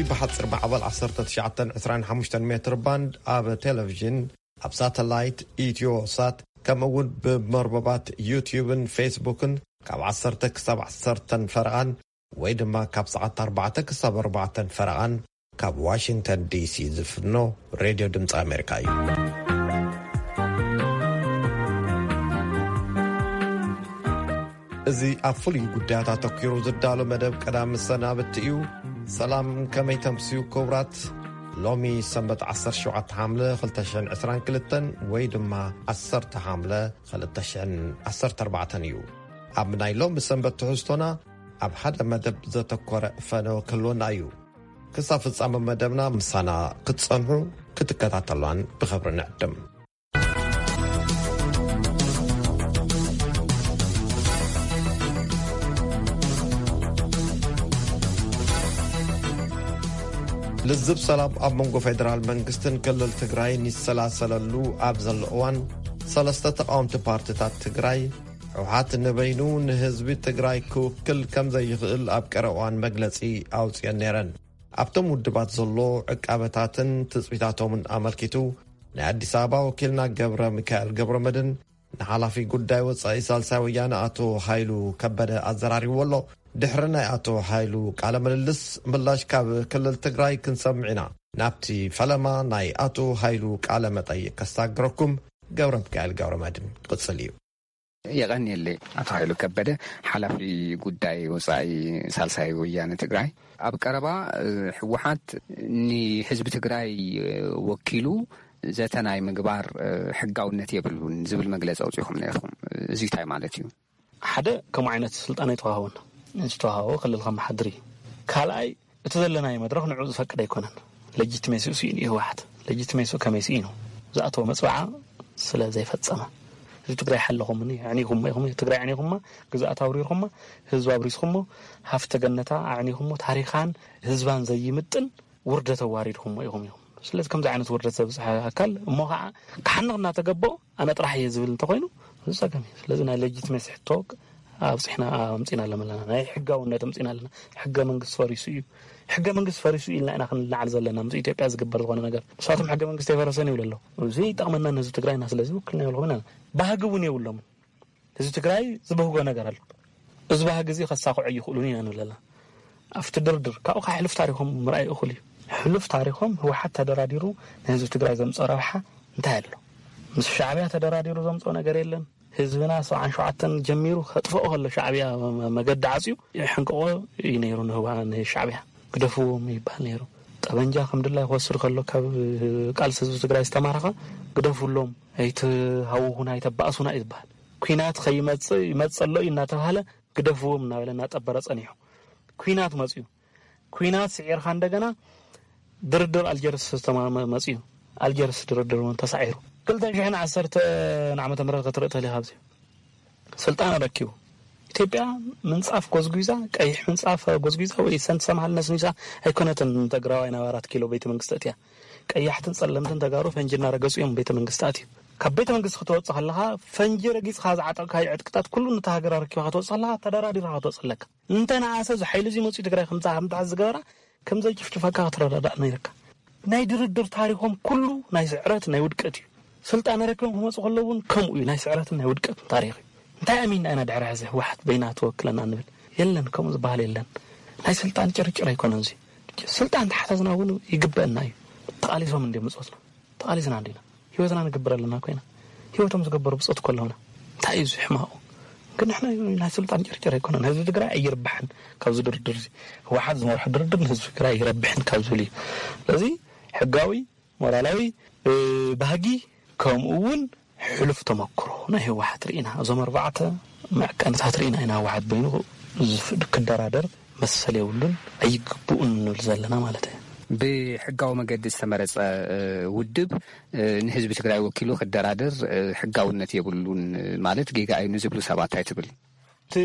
ብሓፂር ማዕበል ዓሰርተ ትሽዓተ ዕስራን ሓሙሽተን ሜትር ባንድ ኣብ ቴሌቪዥን፣ ኣብ ሳተላይት ኢትዮ ሳት፣ ከምኡ እውን ብመርበባት ዩትዩብን ፌስቡክን ካብ ዓሰርተ ክሳብ ዓሰርተን ፈረቓን ወይ ድማ ካብ ሰዓት ኣርባዕተ ክሳብ ኣርባዕተን ፈረቓን ካብ ዋሽንግተን ዲሲ ዝፍኖ ሬድዮ ድምፂ ኣሜሪካ እዩ። እዚ ኣብ ፍሉይ ጉዳያት ኣተኲሩ ዝዳሎ መደብ ቀዳም መሰናብቲ እዩ። ሰላም፣ ከመይ ተምስዩ ክቡራት? ሎሚ ሰንበት ዓሰርተ ሸውዓተ ሓምለ ክልተ ሽሕን ዕስራን ክልተን ወይ ድማ ዓሰርተ ሓምለ ክልተ ሽሕን ዓሰርተ ኣርባዕተን እዩ። ኣብ ናይ ሎሚ ሰንበት ትሕዝቶና ኣብ ሓደ መደብ ዘተኮረ ፈነወ ክህልወና እዩ። ክሳብ ፍጻመ መደብና ምሳና ክትጸንሑ ክትከታተሏን ብኽብሪ ንዕድም። ልዝብ ሰላም ኣብ መንጎ ፌደራል መንግስትን ክልል ትግራይን ይሰላሰለሉ ኣብ ዘሎ እዋን፣ ሰለስተ ተቃወምቲ ፓርቲታት ትግራይ፣ ህወሓት ንበይኑ ንህዝቢ ትግራይ ክውክል ከም ዘይኽእል ኣብ ቀረባ እዋን መግለጺ ኣውጽኤን ነይረን። ኣብቶም ውድባት ዘሎ ዕቃበታትን ትጽቢታቶምን ኣመልኪቱ፣ ናይ ኣዲስ ኣበባ ወኪልና ገብረ ሚካኤል ገብረ መድን ንሓላፊ ጉዳይ ወጻኢ ሳልሳይ ወያነ ኣቶ ሃይሉ ከበደ ኣዘራሪብዎ ኣሎ። ድሕሪ ናይ ኣቶ ሃይሉ ቃለ ምልልስ፣ ምላሽ ካብ ክልል ትግራይ ክንሰምዕ ኢና። ናብቲ ፈለማ ናይ ኣቶ ሃይሉ ቃለ መጠይቅ ከሳግረኩም ገብረ ሚካኤል ገብረ መድን ቅጽል እዩ። የቐንየለይ። ኣቶ ሃይሉ ከበደ፣ ሓላፊ ጉዳይ ወጻኢ ሳልሳይ ወያነ ትግራይ። ኣብ ቀረባ፣ እ፣ ህወሓት ንህዝቢ ትግራይ፣ እ፣ ወኪሉ ዘተ ናይ ምግባር፣ እ፣ ሕጋውነት የብሉን ዝብል መግለጺ ኣውጺኹም ነይርኩም። እዚ እንታይ ማለት እዩ? ሓደ፣ ከምኡ ዓይነት ስልጣን ኣይተዋህቦን። ዝተዋህቦ ክልል ከመሓድር እዩ። ካልኣይ፣ እቲ ዘለናዮ መድረኽ ንዕኡ ዝፈቅድ ኣይኮነን። ሌጂቲሜሲኡ ስኢኑ እዩ ህወሓት። ሌጂቲሜሲኡ ከመይ ስኢኑ? ዝኣተወ መፅዋዓ ስለ ዘይፈፀመ። ህዝቢ ትግራይ ሓለኹምኒ፣ ኣዕኒኹሞ ኢኹም፣ ትግራይ ኣዕኒኹማ፣ ግዝኣት ኣውሪርኹማ፣ ህዝቢ ኣብሪስኹሞ፣ ሃፍተ ገነታ ኣዕኒኹሞ፣ ታሪኻን ህዝባን ዘይምጥን ውርደት ኣዋሪድኹሞ ኢኹም ኢኹም። ስለዚ ከምዚ ዓይነት ውርደት ዘብፅሐ ኣካል እሞ ከዓ ክሓንቕ እናተገበኦ ኣነ ጥራሕ እየ ዝብል እንተኾይኑ፣ እዚ ጸገም እዩ። ስለዚ ናይ ሌጂቲሜሲ ሕቶ ኣብፂሕና ኣምፂና ኣለና። ናይ ሕጋውነት ኣምፂና ኣለና። ሕገ መንግስቲ ፈሪሱ እዩ። ሕገ መንግስቲ ፈሪሱ ኢልና ኢና ክንለዓል ዘለና፣ ምስ ኢትዮጵያ ዝግበር ዝኾነ ነገር። ንሳቶም ሕገ መንግስቲ ኣይፈረሰን ይብሉ ኣለዉ። እዚ ይጠቕመና ንህዝቢ ትግራይና፣ ስለዚ ውክልና የብልኹም ኢና። ባህጊ እውን የብሎምን። ህዝቢ ትግራይ ዝበህጎ ነገር ኣሎ። እዚ ባህጊ እዚ ከሳኽዖ ኣይኽእሉን ኢና ንብል ኣለና። ኣብቲ ድርድር ካብኡ ከዓ ሕሉፍ ታሪኾም ምርኣይ እኹል እዩ። ሕሉፍ ታሪኾም ህወሓት ተደራዲሩ ንህዝቢ ትግራይ ዘምፅኦ ረብሓ እንታይ ኣሎ? ምስ ሻዕብያ ተደራዲሩ ዘምፅኦ ነገር የለን። ህዝብና ሰብዓን ሸውዓተን ጀሚሩ ከጥፍኦ ከሎ ሻዕብያ መ-፣ መገዲ ዓፅዩ ይሕንቅቆ እዩ ነይሩ ንህዋ-፣ ንሻዕብያ። ግደፍዎም ይበሃል ነይሩ። ጠበንጃ ከም ድላይ ክወስድ ከሎ ካብ ቃልሲ ህዝቢ ትግራይ ዝተማረኸ ግደፉሎም፣ ኣይትሃውኹና፣ ኣይተባእሱና እዩ ዝበሃል። ኲናት ከይመጽእ ይመጽእ ኣሎ እዩ እናተባህለ ግደፍዎም እናበለ እናጠበረ ጸኒሑ። ኲናት መጽዩ። ኲናት ስዒርካ እንደገና ድርድር ኣልጀርስ ዝተማመ መጽዩ። ኣልጀርስ ድርድር እውን ተሳዒሩ። ክልተ ሽሕን ዓሰርተን ዓመተ ምህረት ክትርኢ ትኽእል ኢኻ ኣብዚ። ስልጣን ኣረኪቡ። ኢትዮጵያ ምንጻፍ ጎዝጒዛ፣ ቀይሕ ምንጻፍ ጎዝጒዛ ወይ ሰንቲ ሰማል ነስኒሳ ኣይኮነትን ንትግራዋይ ናብ ኣራት ኪሎ ቤተ መንግስቲ ኣእትያ። ቀያሕትን ጸለምትን ተጋሩ ፈንጂ እናረገጹ እዮም ቤተ መንግስቲ ኣትዩ። ካብ ቤተ መንግስቲ ክትወጽእ ከለኻ ፈንጂ ረጊጽካ ዝዓጠቕካዮ ዕጥቅታት ኩሉ ነታ ሃገር ኣረኪብካ ክትወጽእ ከለኻ ተደራዲርካ ክትወጽእ ኣለካ። እንተ ነኣሰ እዚ ሓይሊ እዚ መጺኡ ትግራይ ከምታ-፣ ከምትሓዝ ዝገበራ ከም ዘይጭፍጭፈካ ክትረዳዳእ ነይርካ። ናይ ድርድር ታሪኾም ኩሉ ናይ ስዕረት፣ ናይ ውድቀት እዩ። ስልጣን ኣረኪቦም ክመጹ ከለዉ እውን ከምኡ እዩ፣ ናይ ስዕረትን ናይ ውድቀትን ታሪኽ እዩ። እንታይ ኣሚንና ኢና ድሕሪ ሕዚ ህወሓት በይና ትወክለና ንብል? የለን፣ ከምኡ ዝበሃል የለን። ናይ ስልጣን ጭርጭር ኣይኮነን እዚ። ስልጣን ተሓተትና እውን ይግበአና እዩ። ተቓሊሶም እንድዮም ብጾትና። ተቓሊስና እንዲና። ህይወትና ንገብር ኣለና ኮይና። ህይወቶም ዝገበሩ ብጾት እኮ ኣለውና። እንታይ እዩ እዚ ሕማቑ? ግን ንሕና ናይ ስልጣን ጭርጭር ኣይኮነን። ህዝቢ ትግራይ ኣይርብሕን ካብዚ ድርድር እዚ። ህወሓት ዝመርሖ ድርድር ንህዝቢ ትግራይ ኣይረብሕን ካብ ዝብል እዩ። ስለዚ ሕጋዊ፣ ሞራላዊ፣ እ፣ ባህጊ ከምኡ እውን ሕሉፍ ተመክሮ ናይ ህወሓት ርኢና። እዞም ኣርባዕተ መዕቀንታት ርኢና ኢና ህወሓት በይኑ ዝፍ-፣ ክደራደር መሰል የብሉን፣ ኣይግብኡን ንብል ዘለና ማለት እዩ። ብሕጋዊ መገዲ ዝተመረጸ፣ እ፣ ውድብ፣ እ፣ ንህዝቢ ትግራይ ወኪሉ ክደራደር፣ እ፣ ሕጋውነት የብሉን ማለት ጌጋ እዩ ንዝብሉ ሰባት እንታይ ትብል? እቲ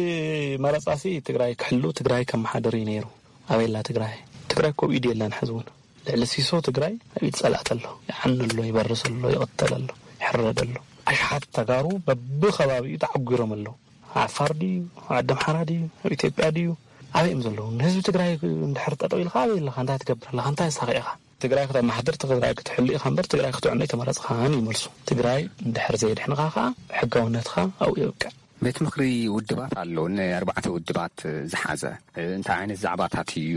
መረጻሲ ትግራይ ክሕሉ፣ ትግራይ ከመሓድር እዩ ነይሩ። ኣበይ ኣላ ትግራይ? ትግራይ እኮ ኣብ ኢዱ የላን ሕዚ እውን። ልዕሊ ሲሶ ትግራይ ኣብ ኢድ ጸላእቲ ኣሎ። ይዓኒ ኣሎ፣ ይበርስ ኣሎ፣ ይቕተል ኣሎ፣ ይሕረድ ኣሎ። ኣሽሓት ተጋሩ በብኸባቢኡ ተዓጒሮም ኣለዉ። ዓፋር ድዩ? ዓዲ ኣምሓራ ድዩ? ኣብ ኢትዮጵያ ድዩ? ኣበይ እዮም ዘለዉ? ንህዝቢ ትግራይ እንድሕር ጠጠው ኢልካ ኣበይ ኣለኻ? እንታይ ትገብር ኣለኻ? እንታይ ሳኺ ኢኻ? ትግራይ ክተማሓድር፣ ትግራይ ክትሕሉ ኢኻ እምበር ትግራይ ክትዕኖ ኣይተመረፅኻን ይመልሱ። ትግራይ እንድሕር ዘየድሕንኻ ከዓ ሕጋውነትኻ ኣብኡ የብቅዕ። ቤት ምኽሪ ውድባት ኣሎ፣ ንኣርባዕተ ውድባት ዝሓዘ። እንታይ ዓይነት ዛዕባታት እዩ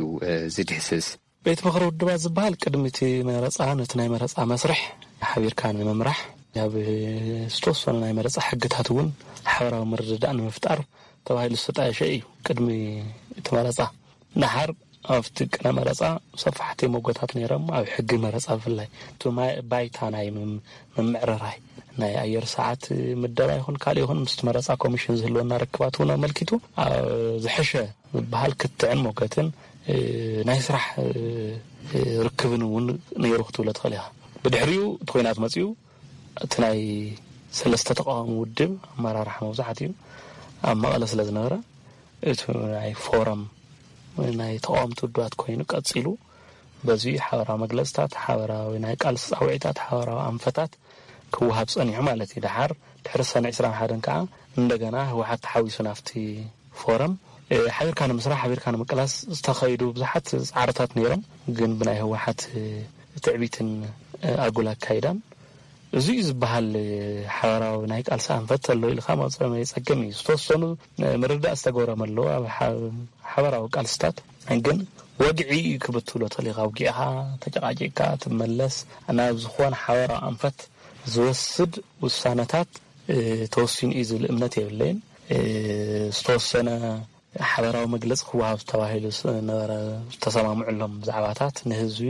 ዝድህስስ? ቤት ምኽሪ ውድባት ዝበሃል ቅድሚ እቲ መረፃ፣ ነቲ ናይ መረፃ መስርሕ ሓቢርካ ንምምራሕ፣ ኣብ ዝተወሰኑ ናይ መረፃ ሕግታት እውን ሓበራዊ ምርድዳእ ንምፍጣር ተባሂሉ ዝተጣየሸ እዩ። ቅድሚ እቲ መረፃ፣ ደሓር ኣብቲ ቅነ መረፃ ሰፋሕቲ መጎታት ነይሮም። ኣብ ሕጊ መረፃ ብፍላይ እቲ ማይ-፣ ባይታ ናይ ምም-፣ ምምዕርራይ ናይ ኣየር ሰዓት ምደባ ይኹን ካልእ ይኹን ምስቲ መረፃ ኮሚሽን ዝህልወና ርክባት እውን ኣመልኪቱ ኣብ ዝሐሸ ዝበሃል ክትዕን ሞገትን፣ እ፣ ናይ ስራሕ፣ እ፣ እ፣ ርክብን እውን ነይሩ ክትብሎ ትኽእል ኢኻ። ብድሕሪኡ እቲ ኲናት መፂኡ፣ እቲ ናይ ሰለስተ ተቃዋሚ ውድብ ኣመራርሓ መብዛሕትኡ ኣብ መቐለ ስለ ዝነበረ፣ እቲ ናይ ፎረም ናይ ተቃወምቲ ውድባት ኮይኑ ቀፂሉ፣ በዚ ሓበራዊ መግለፅታት፣ ሓበራዊ ናይ ቃልሲ ፃውዒታት፣ ሓበራዊ ኣንፈታት ክወሃብ ጸኒሑ ማለት እዩ። ደሓር ድሕሪ ሰነ ዕስራን ሓደን ከኣ እንደገና ህወሓት ተሓዊሱ ናብቲ ፎረም፣ እ፣ ሓቢርካ ንምስራሕ፣ ሓቢርካ ንምቅላስ ዝተኸይዱ ብዙሓት ጻዕርታት ነይሮም፣ ግን ብናይ ህወሓት፣ እ፣ ትዕቢትን፣ እ፣ ኣጉል ኣካይዳን እዚ እዩ ዝበሃል፣ እ፣ ሓበራዊ ናይ ቃልሲ ኣንፈት ኣሎ ኢልካ መጸ-፣ መጸገም እዩ። ዝተወሰኑ፣ እ፣ ምርዳእ ዝተገብሮም ኣለዉ። ኣብ ሓ-፣ ሓበራዊ ቃልስታት ግን ወግዒ እዩ ክብል ትብሎ ትኽእል ኢኻ። ኣውጊእኻ፣ ተጨቃቂቅካ ትመለስ፣ ናብ ዝኾነ ሓበራዊ ኣንፈት ዝወስድ ውሳነታት፣ እ፣ ተወሲኑ እዩ ዝብል እምነት የብለይን። እ፣ ዝተወሰነ ሓበራዊ መግለጺ ክወሃብ ተባሂሉ ስ-፣ ነበረ፣ ዝተሰማምዑሎም ዛዕባታት ንህዝቢ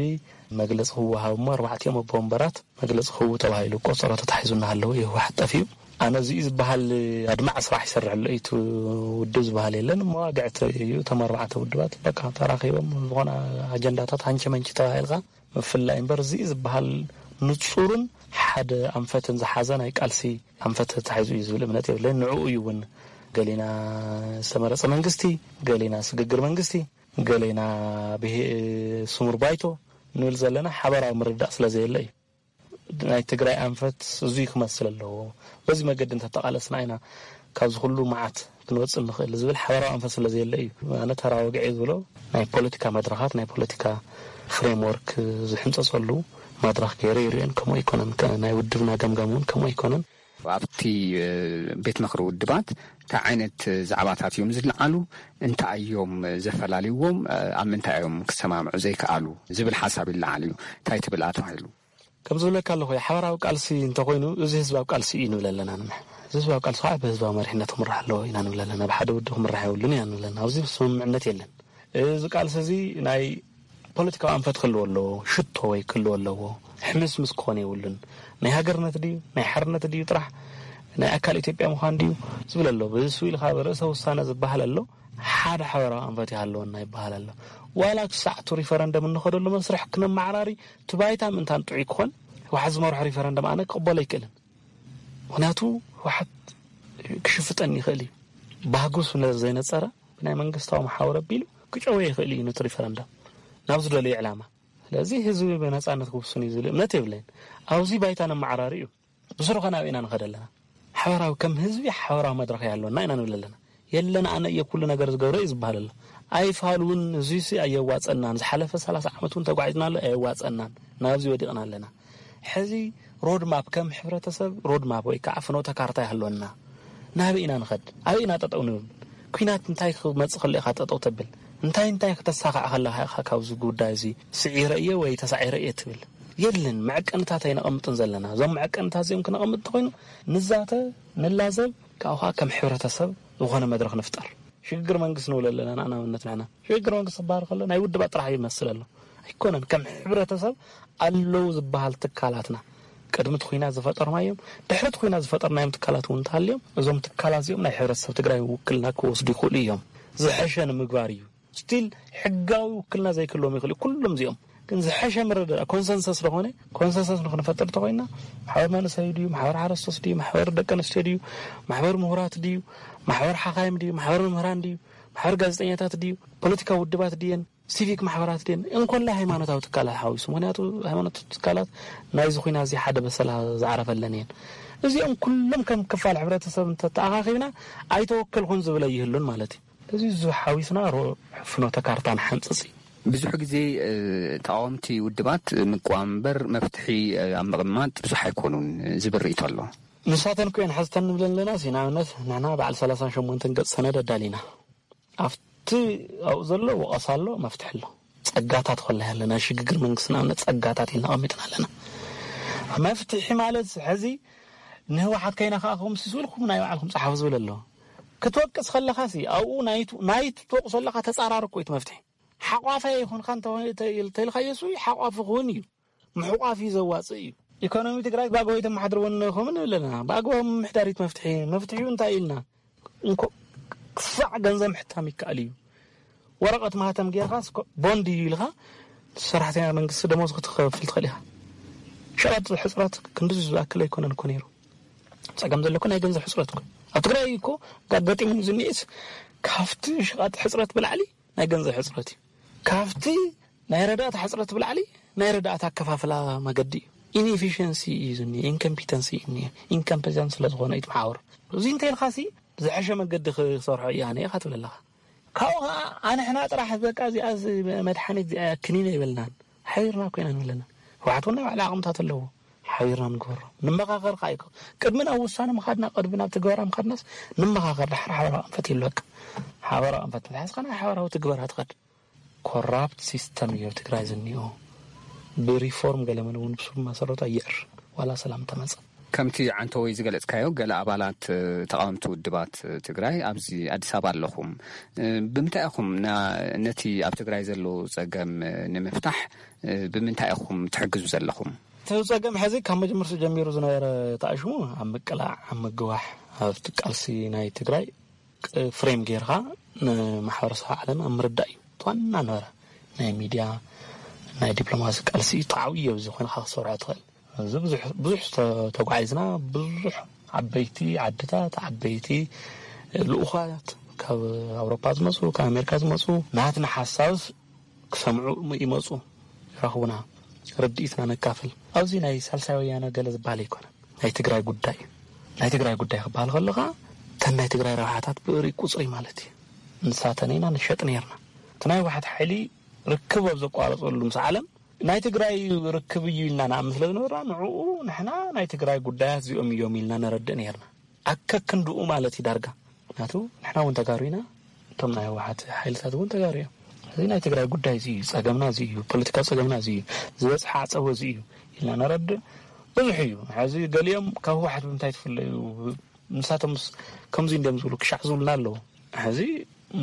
መግለጺ ክወሃብ እሞ ኣርባዕቲኦም ኣቦ ወንበራት መግለጺ ክህቡ ተባሂሉ ቆጸሮ ተታሒዙ እናሃለወ እዩ ህወሓት ጠፊኡ። ኣነ እዚ እዩ ዝበሃል ኣድማዒ ስራሕ ይሰርሕ ኣሎ እዩ እቲ ውድብ ዝበሃል የለን። መዋግዕቲ እዩ። እቶም ኣርባዕተ ውድባት በቃ ተራኺቦም ዝኾነ ኣጀንዳታት ሃንቸ መንቸ ተባሂልካ ምፍላይ እምበር፣ እዚ ዝበሃል ንጹርን ሓደ ኣንፈትን ዝሓዘ ናይ ቃልሲ ኣንፈት ተታሒዙ እዩ ዝብል እምነት የብለይን። ንዕኡ እዩ እውን ገሌና ዝተመረጸ መንግስቲ፣ ገሌና ስግግር መንግስቲ፣ ገሌና ብሄ-፣ ስሙር ባይቶ ንብል ዘለና ሓበራዊ ምርዳእ ስለ ዘየለ እዩ። ናይ ትግራይ ኣንፈት እዙይ ክመስል ኣለዎ። በዚ መገዲ እንተተቓለስና ኢና ካብዚ ኩሉ መዓት ክንወጽእ ንኽእል ዝብል ሓበራዊ ኣንፈት ስለ ዘየለ እዩ። ኣነ ተራ ወግዒ ዝብሎ ናይ ፖለቲካ መድረኻት፣ ናይ ፖለቲካ ፍሬምወርክ ዝሕንጸጸሉ መድረኽ ገይረ ይርእዮን ከምኡ ኣይኮነን። ከ-፣ ናይ ውድብና ገምጋም እውን ከምኡ ኣይኮነን። ኣብቲ፣ እ፣ ቤት ምኽሪ ውድባት እንታይ ዓይነት ዛዕባታት እዮም ዝለዓሉ? እንታይ እዮም ዘፈላልይዎም? ኣብ ምንታይ እዮም ክሰማምዑ ዘይከኣሉ? ዝብል ሓሳብ ይለዓል እዩ። እንታይ ትብል ኣቶ ሃይሉ? ከም ዝብለካ ኣለኹ፣ ሓበራዊ ቃልሲ እንተኾይኑ፣ እዚ ህዝባዊ ቃልሲ እዩ ንብል ኣለና ንሕና። እዚ ህዝባዊ ቃልሲ ከዓ ብህዝባዊ መሪሕነት ክምራሕ ኣለዎ ኢና ንብል ኣለና። ብሓደ ውድብ ክምራሕ የብሉን ኢና ንብል ኣለና። ኣብዚ ስምምዕነት የለን። እዚ ቃልሲ እዚ ናይ ፖለቲካዊ ኣንፈት ክህልዎ ኣለዎ፣ ሽቶ ወይ ክህልዎ ኣለዎ። ሕምስምስ ክኾን የብሉን። ናይ ሃገርነት ድዩ፣ ናይ ሓርነት ድዩ ጥራሕ፣ ናይ ኣካል ኢትዮጵያ ምዃን ድዩ ዝብል ኣሎ። ብሱ ኢልካ ብርእሰ ውሳነ ዝበሃል ኣሎ። ሓደ ሓበራዊ ኣንፈት ይሃለወና ይበሃል ኣሎ። ዋላ ክሳዕ እቲ ሪፈረንደም እንኸደሉ መስርሕ ክነመዓራሪ፣ እቲ ባይታ ምእንታን ጥዑይ ክኾን፣ ህወሓት ዝመርሖ ሪፈረንደም ኣነ ክቕበሎ ኣይክእልን። ምኽንያቱ ህወሓት ክሽፍጠኒ ይኽእል እዩ። ባህጉ ስለ ዘይነጸረ፣ ብናይ መንግስታዊ መሓውር ኣቢሉ ክጨወ ይኽእል እዩ ነቲ ሪፈረንደም ናብ ዝደለዮ ዕላማ። ስለዚ ህዝቢ ብነጻነት ክውስን እዩ ዝብል እምነት የብለይን። ኣብዚ ባይታ ነመዓራሪ እዩ። ብስሩ ከ ናበይ ኢና ንኸድ ኣለና? ሓበራዊ፣ ከም ህዝቢ ሓበራዊ መድረኽ ይሃለወና ኢና ንብል ኣለና። የለን ኣነ እየ ኩሉ ነገር ዝገብረ እዩ ዝበሃል ኣሎ። ኣይፋል እውን እዙይ ሲ ኣየዋጸናን። ዝሓለፈ ሰላሳ ዓመት እውን ተጓዒዝና ኣሎ፣ ኣየዋጸናን። ናብዚ ወዲቕና ኣለና። ሕዚ ሮድ ማፕ ከም ሕብረተሰብ ሮድ ማፕ ወይ ከዓ ፍኖተ ካርታ ይሃለወና። ናበይ ኢና ንኸድ? ኣበይ ኢና ጠጠው ንብል? ኲናት እንታይ ክመጽእ ከሎ ኢኻ ጠጠው ተብል? እንታይ እንታይ ክተሳኻዕ ከለኻ ኢኻ ካብዚ ጉዳይ እዚ ስዒረ እየ ወይ ተሳዒረ እየ ትብል? የለን፣ መዐቀንታት ኣይነቐምጥን ዘለና። እዞም መዐቀንታት እዚኦም ክነቐምጥ እንተኾይኑ ንዛተ፣ ንላዘብ፣ ካብኡ ከዓ ከም ሕብረተሰብ ዝኾነ መድረኽ ንፍጠር። ሽግግር መንግስቲ ንብል ኣለና ንኣብነት ንሕና። ሽግግር መንግስቲ ክበሃል ከሎ ናይ ውድባት ጥራሕ ይመስል ኣሎ። ኣይኮነን። ከም ሕብረተሰብ ኣለዉ ዝበሃል ትካላትና ቅድሚ እቲ ኲናት ዝፈጠርናዮም፣ ድሕሪ እቲ ኲናት ዝፈጠርናዮም ትካላት እውን እንተሃልዮም፣ እዞም ትካላት እዚኦም ናይ ሕብረተሰብ ትግራይ ውክልና ክወስዱ ይኽእሉ እዮም። ዝሐሸ ንምግባር እዩ። ስቲል ሕጋዊ ውክልና ዘይክህልዎም ይኽእል እዩ። ኩሎም እዚኦም ግን ዝሐሸ ምርድዳእ ኮንሰንሰስ ዝኾነ ኮንሰንሰስ ንክንፈጥር እንተኾይና፣ ማሕበር መንእሰይ ድዩ፣ ማሕበር ሓረስቶት ድዩ፣ ማሕበር ደቂ ኣንስትዮ ድዩ፣ ማሕበር ምሁራት ድዩ፣ ማሕበር ሓኻይም ድዩ፣ ማሕበር መምህራን ድዩ፣ ማሕበር ጋዜጠኛታት ድዩ፣ ፖለቲካዊ ውድባት ድየን፣ ሲቪክ ማሕበራት ድየን፣ እንኮላይ ሃይማኖታዊ ትካላት ሓዊሱ። ምኽንያቱ ሃይማኖታዊ ትካላት ናይዚ ኹናት እዚ ሓደ በሰላ ዝዓረፈለን እየን። እዚኦም ኩሎም ከም ክፋል ሕብረተሰብ እንተተኣኻኺብና ኣይተወከልኩን ዝብል ኣይህሉን ማለት እዩ። እዚ ዝሓዊስና ፍኖተ ካርታ ንሓንፅፅ እዩ። ብዙሕ ግዜ ተቃወምቲ ውድባት ምቅዋም እምበር መፍትሒ ኣብ ምቕማጥ ብዙሕ ኣይኮኑን ዝብል ርእይቶ ኣሎ። ንሳተን ኮይን ሓዝተን ንብለን ኣለና። ንኣብነት ንሕና በዓል ሰላሳን ሸሞንተን ገፅ ሰነድ ኣዳሊና ኣብቲ ኣብኡ ዘሎ ወቐሳ ኣሎ፣ መፍትሒ ኣሎ። ፀጋታት ኮላ ያለ ናይ ሽግግር መንግስቲ ንኣብነት ፀጋታት ኢልና ኣቐሚጥና ኣለና። መፍትሒ ማለት ሕዚ ንህወሓት ከይነካእኹም ሲስብልኩም ናይ ባዕልኩም ፀሓፉ ዝብል ኣሎ። ክትወቅስ ከለኻ ሲ ኣብኡ ናይቲ ትወቅሶ ኣለኻ ተፃራሪ እኮ እዩ እቲ መፍትሒ። ሓቋፋይ ይኹንካ እንተልካዮ ሱ ሓቋፊ ክውን እዩ። ምሕቋፍ እዩ ዘዋፅእ እዩ። ኢኮኖሚ ትግራይ ብኣግባቡ ኣይተመሓድርዎን ኣለኹምን ንብል ኣለና። ብኣግባቡ ምምሕዳር እዩ እቲ መፍትሒ። መፍትሒኡ እንታይ ኢልና እንኮ ክሳዕ ገንዘብ ምሕታም ይከኣል እዩ። ወረቐት ማህተም ጌርካ ቦንድ እዩ ኢልካ ሰራሕተኛ መንግስቲ ደሞዝ ክትከፍል ትኽእል ኢኻ። ሸቐጥ ሕፅረት ክንድዚ ዝኣክል ኣይኮነን እኮ ነይሩ። ፀገም ዘለኩ ናይ ገንዘብ ሕፅረት እኮ ኣብ ትግራይ እኮ ኣጋጢሙ ዝኒኤስ ካብቲ ሸቐጥ ሕፅረት ብላዕሊ ናይ ገንዘብ ሕፅረት እዩ። ካብቲ ናይ ረዳእታ ሕፅረት ብላዕሊ ናይ ረዳእታ ኣከፋፍላ መገዲ እዩ። ኢንኤፊሽንሲ እዩ ዝኒኤ፣ ኢንኮምፒተንሲ እዩ ዝኒኤ። ኢንኮምፒተንስ ስለ ዝኾነ እዩ እቲ መሓውር። እዚ እንተይልካሲ ዝሐሸ መገዲ ክሰርሖ እያ ነየ ኢኻ ትብል ኣለኻ። ካብኡ ከዓ ኣንሕና ጥራሕ በቃ እዚኣ መድሓኒት እዚኣ ክኒነ ይበልናን ሓቢርና ኮይና ንብለና። ህወሓት እውን ናይ ባዕላ ዓቕምታት ኣለዎ። ሓቢርና ንግበሮ። ንመኻኸር ከዓ ይኮ ቅድሚ ናብ ውሳነ ምኻድና ቅድሚ ናብ ትግበራ ምኻድናስ ንመኻኸር ድሓር ሓበራ ኣንፈት ይሉ በቃ ሓበራ ኣንፈት ተሓዝካ ናይ ሓበራዊ ትግበራ ትኸድ። ኮራፕት ሲስተም እዩ ኣብ ትግራይ ዝኒኦ። ብሪፎርም ገለመለ እውን ብስሩ መሰረቱ ኣየዕር ዋላ ሰላም ተመፀ። ከምቲ ዓንተወይ ዝገለጽካዮ ገለ ኣባላት ተቃወምቲ ውድባት ትግራይ ኣብዚ ኣዲስ ኣበባ ኣለኹም። ብምንታይ ኢኹም ነቲ ኣብ ትግራይ ዘሎ ጸገም ንምፍታሕ ብምንታይ ኢኹም ትሕግዙ ዘለኹም? እቲ ጸገም ሕዚ ካብ መጀመርታ ጀሚሩ ዝነበረ ተኣሽሙ ኣብ ምቅላዕ ኣብ ምግዋሕ ኣብቲ ቃልሲ ናይ ትግራይ ፍሬም ጌርካ ንማሕበረሰብ ዓለም ኣብ ምርዳእ እዩ ዋና ነበረ። ናይ ሚድያ ናይ ዲፕሎማሲ ቃልሲ እዩ ተዓብዮ እዚ ኮይንካ ክሰርዖ ትኽእል። እዚ ብዙሕ ተጓዒዝና ብዙሕ ዓበይቲ ዓድታት ዓበይቲ ልኡኻት ካብ ኣውሮፓ ዝመፁ ካብ ኣሜሪካ ዝመፁ ናትና ሓሳብስ ክሰምዑ ይመፁ ይረኽቡና። ርድኢትና ነካፍል ኣብዚ ናይ ሳልሳይ ወያነ ገለ ዝበሃል ኣይኮነን። ናይ ትግራይ ጉዳይ እዩ። ናይ ትግራይ ጉዳይ ክበሃል ከለኻ እተን ናይ ትግራይ ረብሓታት ብእሪ ቁፅሪ ማለት እዩ። ንሳተን ኢና ንሸጥ ነርና። እቲ ናይ ህወሓት ሓይሊ ርክብ ኣብ ዘቋረፀሉ ምስ ዓለም ናይ ትግራይ ርክብ እዩ ኢልና ንኣምን ስለ ዝነበርና ንዕኡ ንሕና ናይ ትግራይ ጉዳያት እዚኦም እዮም ኢልና ነረድእ ነርና። ኣከክንድኡ ማለት እዩ ዳርጋ። ምክንያቱ ንሕና እውን ተጋሩ ኢና፣ እቶም ናይ ህወሓት ሓይልታት እውን ተጋሩ እዮም። እዚ ናይ ትግራይ ጉዳይ እዚ እዩ፣ ፀገምና እዚ እዩ፣ ፖለቲካዊ ፀገምና እዚ እዩ፣ ዝበፅሐ ዓፀቦ እዚ እዩ ኢልና ነረድእ ብዙሕ እዩ። ሕዚ ገሊኦም ካብ ህወሓት ብምንታይ ትፍለዩ ንሳቶም ከምዚ እንዲም ዝብሉ ክሻዕ ዝብሉና ኣለዉ። ሕዚ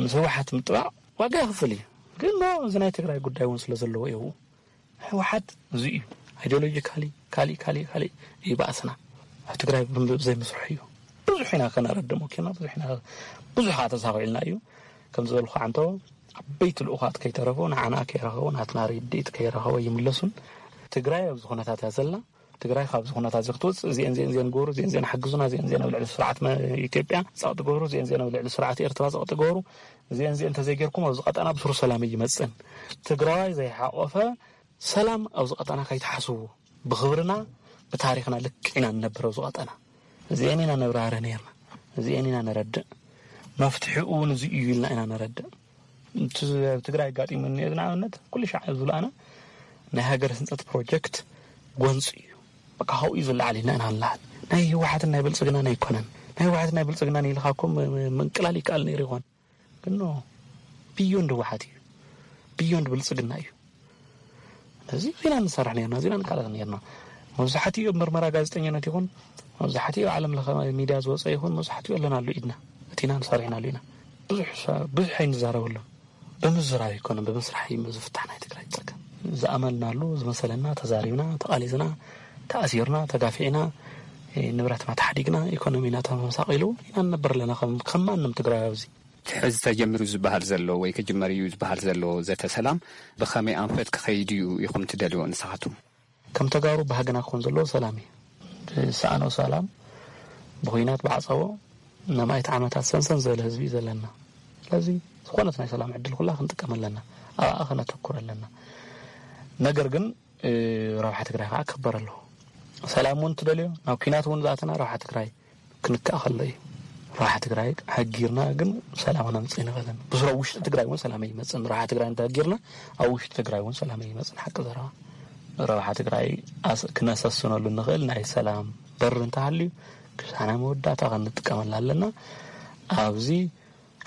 ምስ ህወሓት ምጥባቕ ዋጋ ይኽፍል እዩ። ግን ኖ እዚ ናይ ትግራይ ጉዳይ እውን ስለ ዘለዎ እዩ። ህወሓት እዚ እዩ። ኣይዲዮሎጂካሊ ካሊእ ካሊእ ካሊእ እዩ በኣስና። ኣብ ትግራይ ብዘይምስርሑ እዩ። ብዙሕ ኢና ከነረድእ ሞኪርና ብዙሕ ኢና ብዙሕ ከዓ ተሳኺዕልና እዩ። ከም ዝበልኩ ዓንቶ ዓበይቲ ልኡኻት ከይተረፉ ንዓና ከይረኸቡ ናትና ርድኢት ከይረኸቡ ይምለሱን። ትግራይ ኣብዚ ኩነታት እያ ዘላ። ትግራይ ካብዚ ኩነታት እዚ ክትወፅእ እዚአን እዚአን እዚአን ግበሩ፣ እዚአን እዚአን ሓግዙና፣ እዚአን እዚአን ኣብ ልዕሊ ስርዓት መ- ኢትዮጵያ ፀቕጢ ግበሩ፣ እዚአን እዚአን ኣብ ልዕሊ ስርዓት ኤርትራ ፀቕጢ ግበሩ፣ እዚአን እዚአን እንተዘይጌርኩም ኣብዚ ቀጠና ብስሩ ሰላም ኣይመፅእን። ትግራዋይ ዘይሓቆፈ ሰላም ኣብዚ ቀጠና ከይትሓስቡ። ብኽብርና ብታሪኽና ልክዕ ኢና ንነብር ኣብዚ ቀጠና። እዚአን ኢና ነብራህርህ ነርና፣ እዚአን ኢና ነረድእ። መፍትሒኡ እውን እዚ እዩ ኢልና ኢና ነረድእ። እቲ ኣብ ትግራይ ኣጋጢሙ እኒኦ ንኣብነት ኩሉ ሻዕ ዝብሉ ኣነ ናይ ሃገር ህንፀት ፕሮጀክት ጎንፂ እዩ። በቃ ካብኡ እዩ ዝለዓል ኢልና ኢና ንለዓል። ናይ ህወሓትን ናይ ብልፅግናን ኣይኮነን። ናይ ህወሓትን ናይ ብልፅግናን ኢልካ እኮ ም- ም- ምንቅላል ይከኣል ነይሩ ይኾን። ግን ኖ፣ ብዮንድ ህወሓት እዩ፣ ብዮንድ ብልፅግና እዩ። ነዚ ዜና ንሰርሕ ነርና፣ ዜና ንቃለስ ነርና። መብዛሕትኡ ኣብ ምርመራ ጋዜጠኛነት ይኹን መብዛሕትኡ ኣብ ዓለም ለኸ ሚድያ ዝወፀ ይኹን መብዛሕትኡ ኣለናሉ ኢድና፣ እቲ ኢና ንሰርሕ ኢናሉ ኢና። ብዙሕ ብዙሕ ኣይንዛረበሉን። ብምዝራብ ኣይኮነን ብምስራሕ እዩ ዝፍታሕ ናይ ትግራይ ፀገም። ዝኣመንናሉ ዝመሰለና ተዛሪብና ተቓሊስና ተኣሲርና ተጋፊዕና ንብረትና ተሓዲግና ኢኮኖሚና ተመሳቒሉ ኢና ንነብር ኣለና ከም ከም ማንም ትግራይ ኣብዚ። ሕዚ ተጀሚሩ ዝበሃል ዘሎ ወይ ክጅመር እዩ ዝበሃል ዘሎ ዘተ ሰላም ብኸመይ ኣንፈት ክኸይድ እዩ ኢኹም ትደልይዎ ንስኻትኩም? ከም ተጋሩ ባህግና ክኾን ዘለዎ ሰላም እዩ። ዝሰኣኖ ሰላም ብኹናት ብዓፀቦ ንኣማኢት ዓመታት ሰንሰን ዝበለ ህዝቢ እዩ ዘለና። ስለዚ ዝኾነት ናይ ሰላም ዕድል ኩላ ክንጥቀም ኣለና። ኣብኣ ከነተኩር ኣለና። ነገር ግን ረብሓ ትግራይ ከዓ ክከበር ኣለዎ። ሰላም እውን ትደልዮ ናብ ኲናት እውን ዝኣተና ረብሓ ትግራይ ክንካእ ከሎ እዩ። ረብሓ ትግራይ ኣጊርና ግን ሰላም ነምፅእ ንኽእልን። ብስሮ ውሽጢ ትግራይ እውን ሰላም ኣይመፅን። ረብሓ ትግራይ እንተኣጊርና ኣብ ውሽጢ ትግራይ እውን ሰላም ኣይመፅን። ሓቂ ዘረባ ረብሓ ትግራይ ኣስ-፣ ክነሰስነሉ ንኽእል ናይ ሰላም በር እንተሃልዩ ክሳና መወዳእታ ክንጥቀመላ ኣለና። ኣብዚ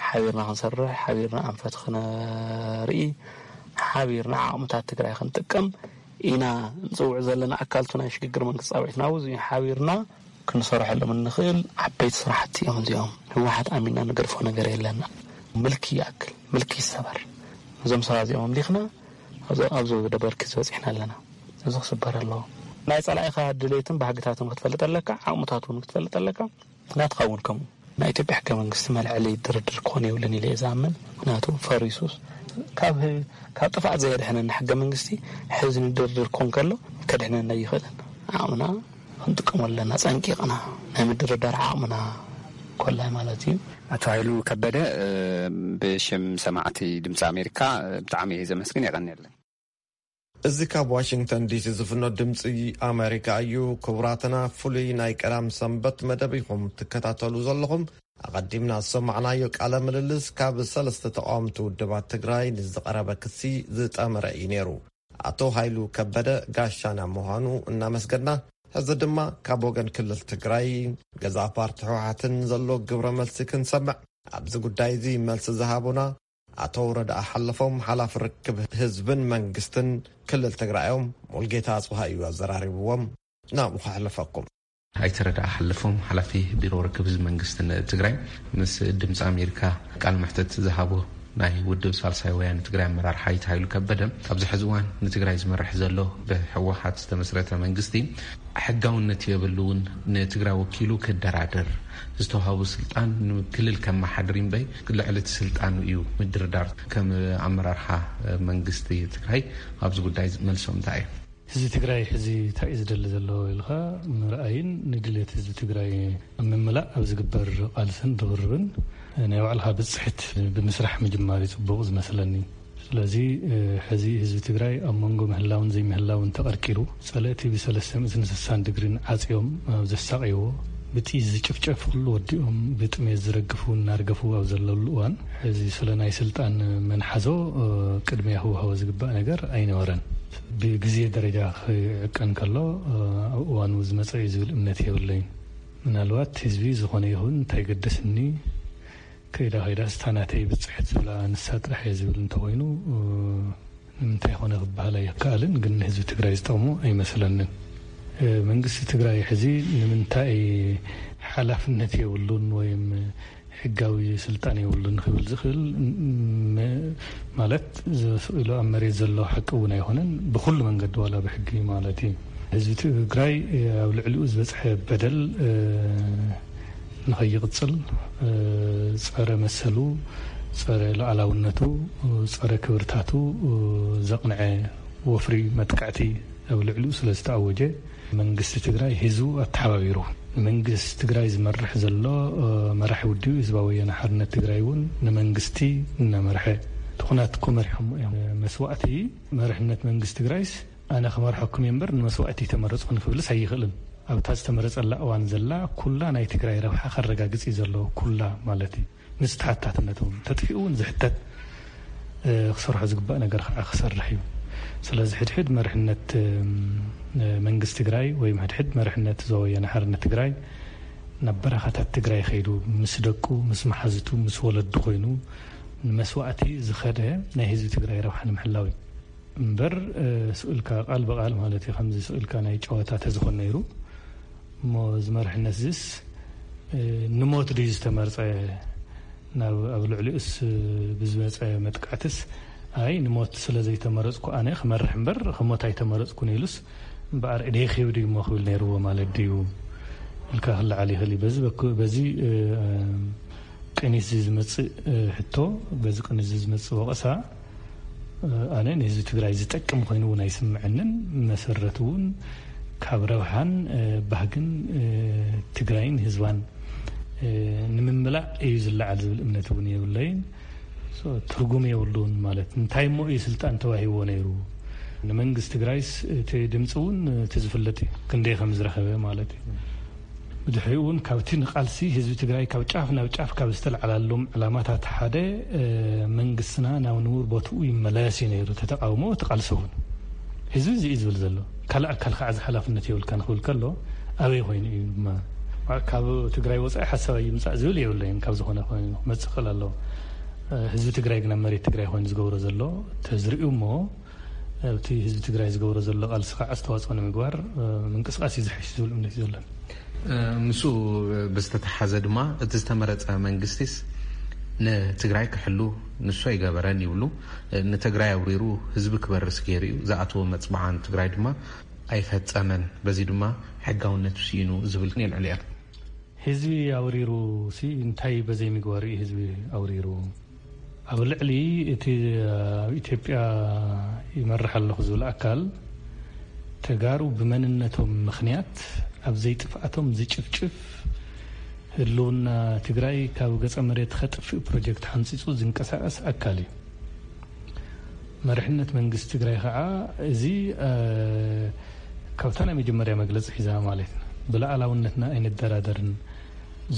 ሓቢርና ክንሰርሕ፣ ሓቢርና ኣንፈት ክነርኢ፣ ሓቢርና ዓቕምታት ትግራይ ክንጥቀም ኢና ንፅውዕ ዘለና። ኣካልቱ ናይ ሽግግር መንግስቲ ፃውዒትና ኣብዚ ሓቢርና ክንሰርሐሎም እንኽእል ዓበይቲ ስራሕቲ እዮም እዚኦም። ህወሓት ኣሚንና ንገድፎ ነገር የለና። ምልኪ ይኣክል፣ ምልኪ ይሰበር። እዞም ሰባት እዚኦም ኣምሊኽና ኣብዚ፣ ኣብዚ ደበርኪ ዝበፂሕና ኣለና። እዚ ክስበር ኣለዎ። ናይ ፀላኢኻ ድሌትን ባህግታትን ክትፈልጥ ኣለካ፣ ዓቕምታቱ እውን ክትፈልጥ ኣለካ። ናትኻ እውን ከምኡ። ናይ ኢትዮጵያ ሕገ መንግስቲ መልዐሊ ድርድር ክኾን የብሉን ኢለ እየ ዝኣምን። ምክንያቱ ፈሪሱስ ካብ ህ-፣ ካብ ጥፍኣት ዘየድሕነና ሕገ መንግስቲ ሕዚ ንድርድር ክኾን ከሎ ከድሕነና ኣይኽእልን። ዓቕምና ክንጥቀመሉ ኣለና፣ ፀንቂቕና ናይ ምድርዳር ዓቕምና ኮላይ ማለት እዩ። ኣቶ ሃይሉ ከበደ፣ እ፣ ብሽም ሰማዕቲ ድምፂ ኣሜሪካ፣ እ፣ ብጣዕሚ እየ ዘመስግን። የቐንየለይ። እዚ ካብ ዋሽንግተን ዲሲ ዝፍኖ ድምፂ ኣሜሪካ እዩ። ክቡራትና፣ ፍሉይ ናይ ቀዳም ሰንበት መደብ ኢኹም ትከታተሉ ዘለኹም። ኣቐዲምና ዝሰማዕናዮ ቃለ ምልልስ ካብ ሰለስተ ተቃወምቲ ውድባት ትግራይ ንዝቐረበ ክሲ ዝጠመረ እዩ ነይሩ። ኣቶ ሃይሉ ከበደ ጋሻና ምዃኑ እናመስገና፣ ሕዚ ድማ ካብ ወገን ክልል ትግራይ ገዛእ ፓርቲ ህወሓትን ዘሎ ግብረ መልሲ ክንሰምዕ፣ ኣብዚ ጉዳይ እዚ መልሲ ዝሃቡና ኣቶ ረድኣ ሓለፎም፣ ሓላፊ ርክብ ህዝብን መንግስትን ክልል ትግራይ እዮም። ሙልጌታ ኣጽብሃ እዩ ኣዘራሪብዎም። ናብኡ ከሕልፈኩም። ኣይተ ረድኣ ሓለፎም፣ ሓላፊ ቢሮ ርክብ ህዝቢ መንግስትን ትግራይ፣ ምስ ድምፂ ኣሜሪካ ቃል መሕተት ዝሃቡ ናይ ውድብ ሳልሳይ ወያነ ትግራይ ኣመራርሓ ኣይተ ሃይሉ ከበደ፣ ኣብዚ ሕዚ እዋን ንትግራይ ዝመርሕ ዘሎ ብህወሓት ዝተመስረተ መንግስቲ ሕጋውነት የብሉን፣ ንትግራይ ወኪሉ ክደራደር፣ ዝተዋህቡ ስልጣን ንክልል ከመሓድር እምበይ ልዕሊ እቲ ስልጣኑ እዩ ምድርዳር። ከም ኣመራርሓ መንግስቲ ትግራይ ኣብዚ ጉዳይ መልሶም እንታይ እዩ? ህዝቢ ትግራይ ሕዚ እንታይ እዩ ዝደሊ ዘሎ ኢልካ ምርኣይን ንድልየት ህዝቢ ትግራይ ኣብ ምምላእ ኣብ ዝግበር ቃልስን ርብርብን ናይ ባዕልኻ ብፅሕት ብምስራሕ ምጅማር እዩ ፅቡቕ ዝመስለኒ። ስለዚ፣ እ፣ ሕዚ ህዝቢ ትግራይ ኣብ መንጎ ምህላውን ዘይምህላውን ተቐርቂሩ፣ ጸለእቲ ብሰለስተ ሚእትን ስሳን ድግሪን ዓጽዮም ኣብ ዘሳቕይዎ፣ ብጥይት ዝጭፍጨፍ ኩሉ ወዲኦም፣ ብጥሜት ዝረግፉ እናርገፉ ኣብ ዘለሉ እዋን፣ ሕዚ ስለ ናይ ስልጣን መንሓዞ፣ እ፣ ቅድሚያ ክወሃቦ ዝግባእ ነገር ኣይነበረን። ብግዜ ደረጃ ክዕቀን ከሎ፣ እ፣ ኣብ እዋኑ ዝመጸ እዩ ዝብል እምነት የብለይን። ምናልባት ህዝቢ ዝኾነ ይኹን እንታይ ገደስኒ፣ ከይዳ ከይዳ ስታ ናተይ ብጽሕት ዝብላ ንሳ ጥራሕ እየ ዝብል እንተኾይኑ፣ እ፣ ንምንታይ ኮነ ክበሃል ኣይከኣልን፣ ግን ንህዝቢ ትግራይ ዝጠቕሞ ኣይመስለንን። እ፣ መንግስቲ ትግራይ ሕዚ ንምንታይ ሓላፍነት የብሉን ወይም ሕጋዊ ስልጣን የብሉን ክብል ዝኽእል፣ ም-፣ ማለት፣ ስቕ ኢሉ ኣብ መሬት ዘሎ ሓቂ እውን ኣይኮነን። ብኹሉ መንገዲ ዋላ ብሕጊ ማለት እዩ። ህዝቢ ትግራይ ኣብ ልዕሊኡ ዝበፅሐ በደል፣ እ፣ ንኸይቕፅል፣ እ፣ ፀረ መሰሉ፣ ፀረ ሉዓላውነቱ፣ ጸረ ክብርታቱ ዘቕንዐ ወፍሪ መጥቃዕቲ ኣብ ልዕሊኡ ስለ ዝተኣወጀ፣ መንግስቲ ትግራይ ህዝቡ ኣተሓባቢሩ፣ ንመንግስቲ ትግራይ ዝመርሕ ዘሎ መራሒ ውድብ ህዝባዊ ወያነ ሓርነት ትግራይ እውን ንመንግስቲ እናመርሐ፣ እቲ ኩናት እኮ መሪሖሞ እዮም። መስዋእቲ መርሕነት መንግስቲ ትግራይስ ኣነ ክመርሐኩም እየ እምበር ንመስዋእቲ ኣይተመረፅኩን ክብልስ ኣይኽእልን። ኣብታ ዝተመረፀላ እዋን ዘላ ኩላ ናይ ትግራይ ረብሓ ከረጋግፅ እዩ ዘለዎ፣ ኩላ ማለት እዩ። ምስ ተሓታትነቱ ተጥፊኡ እውን ዝሕተት፣ እ፣ ክሰርሖ ዝግባእ ነገር ከዓ ክሰርሕ እዩ። ስለዚ ሕድሕድ መርሕነት፣ እም፣ መንግስቲ ትግራይ ወይም ሕድሕድ መርሕነት ዞባ ወያነ ሓርነት ትግራይ ናብ በረኻታት ትግራይ ከይዱ ምስ ደቁ፣ ምስ መሓዝቱ፣ ምስ ወለዱ ኮይኑ ንመስዋእቲ ዝኸደ ናይ ህዝቢ ትግራይ ረብሓ ንምሕላው እዩ። እምበር፣ እ፣ ስእልካ ቃል ብቃል ማለት እዩ፣ ከምዚ ስእልካ ናይ ጨዋታ ተዝኾን ነይሩ፣ እሞ እዚ መርሕነት እዚስ፣ እ፣ ንሞት ድዩ ዝተመርጸ? ናብ፣ ኣብ ልዕሊኡስ ብዝመጸ መጥቃዕትስ፣ ኣይ፣ ንሞት ስለ ዘይተመረጽኩ ኣነ ክመርሕ እምበር ክሞት ኣይተመረጽኩን ኢሉስ፣ እምበኣር እደይ ክህብ ድዩ እሞ ክብል ነይርዎ ማለት ድዩ? ኢልካ ክለዓል ይኽእል እዩ። በዚ በኩ-፣ በዚ፣ እ፣ ቅኒት እዚ ዝመጽእ፣ እ፣ ሕቶ፣ በዚ ቅኒት እዚ ዝመጽእ ወቐሳ፣ ኣነ ንህዝቢ ትግራይ ዝጠቅም ኮይኑ እውን ኣይስምዐንን። መሰረት እውን ካብ ረብሓን፣ እ፣ ባህግን፣ እ፣ ትግራይን ህዝባን፣ እ፣ ንምምላእ እዩ ዝለዓል ዝብል እምነት እውን የብለይን። ሶ፣ ትርጉም የብሉን ማለት እንታይ እሞ እዩ ስልጣን ተዋሂቦ ነይሩ? ንመንግስቲ ትግራይስ እቲ ድምፂ እውን እቲ ዝፍለጥ እዩ፣ ክንደይ ከም ዝረኸበ ማለት እዩ። ብድሕሪኡ እውን ካብቲ ንቃልሲ ህዝቢ ትግራይ ካብ ጫፍ ናብ ጫፍ ካብ ዝተለዓላሎም ዕላማታት ሓደ መንግስትና ናብ ንቡር ቦትኡ ይመለስ እዩ ነይሩ። እቲ ተቃውሞ፣ እቲ ቃልሲ እውን ህዝቢ እዚ እዩ ዝብል ዘሎ። ካልእ ኣካል ከዓ እዚ ሓላፍነት የብልካ ንክብል ከሎ ኣበይ ኮይኑ እዩ ድማ ካብ ትግራይ ወፃኢ ሓሳብ ኣይምፃእ ዝብል የብለይን። ካብ ዝኾነ ኮይኑ ክመፅእ ክእል ኣለዎ። ህዝቢ ትግራይ ግን ኣብ መሬት ትግራይ ኮይኑ ዝገብሮ ዘሎ ተዝርእዩ እሞ ኣብቲ ህዝቢ ትግራይ ዝገብሮ ዘሎ ቃልሲ ከዓ ኣስተዋፅኦ ንምግባር ምንቅስቃስ እዩ ዝሓይሽ ዝብል እምነት እዩ ዘለን። ምስ ብዝተተሓዘ ድማ እቲ ዝተመረፀ መንግስቲስ ንትግራይ ክሕሉ ንሱ ኣይገበረን ይብሉ። ንትግራይ ኣውሪሩ ህዝቢ ክበርስ ገይሩ እዩ። ዝኣተወ መፅብዓ ንትግራይ ድማ ኣይፈፀመን። በዚ ድማ ሕጋውነቱ ስኢኑ ዝብል የልዕሉ እዮም። ህዝቢ ኣውሪሩ ሲ እንታይ በዘይ ምግባሩ እዩ ህዝቢ ኣውሪሩ? ኣብ ልዕሊ እቲ ኣብ ኢትዮጵያ ይመርሕ ኣለኹ ዝብል ኣካል ተጋሩ ብመንነቶም ምኽንያት ኣብ ዘይጥፍኣቶም ዝጭፍጭፍ ህልውና ትግራይ ካብ ገፀ መሬት ከጥፍእ ፕሮጀክት ሓንፂፁ ዝንቀሳቀስ ኣካል እዩ። መሪሕነት መንግስቲ ትግራይ ከዓ እዚ ካብታ ናይ መጀመርያ መግለፂ ሒዛ ማለት ብሉኣላውነትና ኣይንደራደርን፣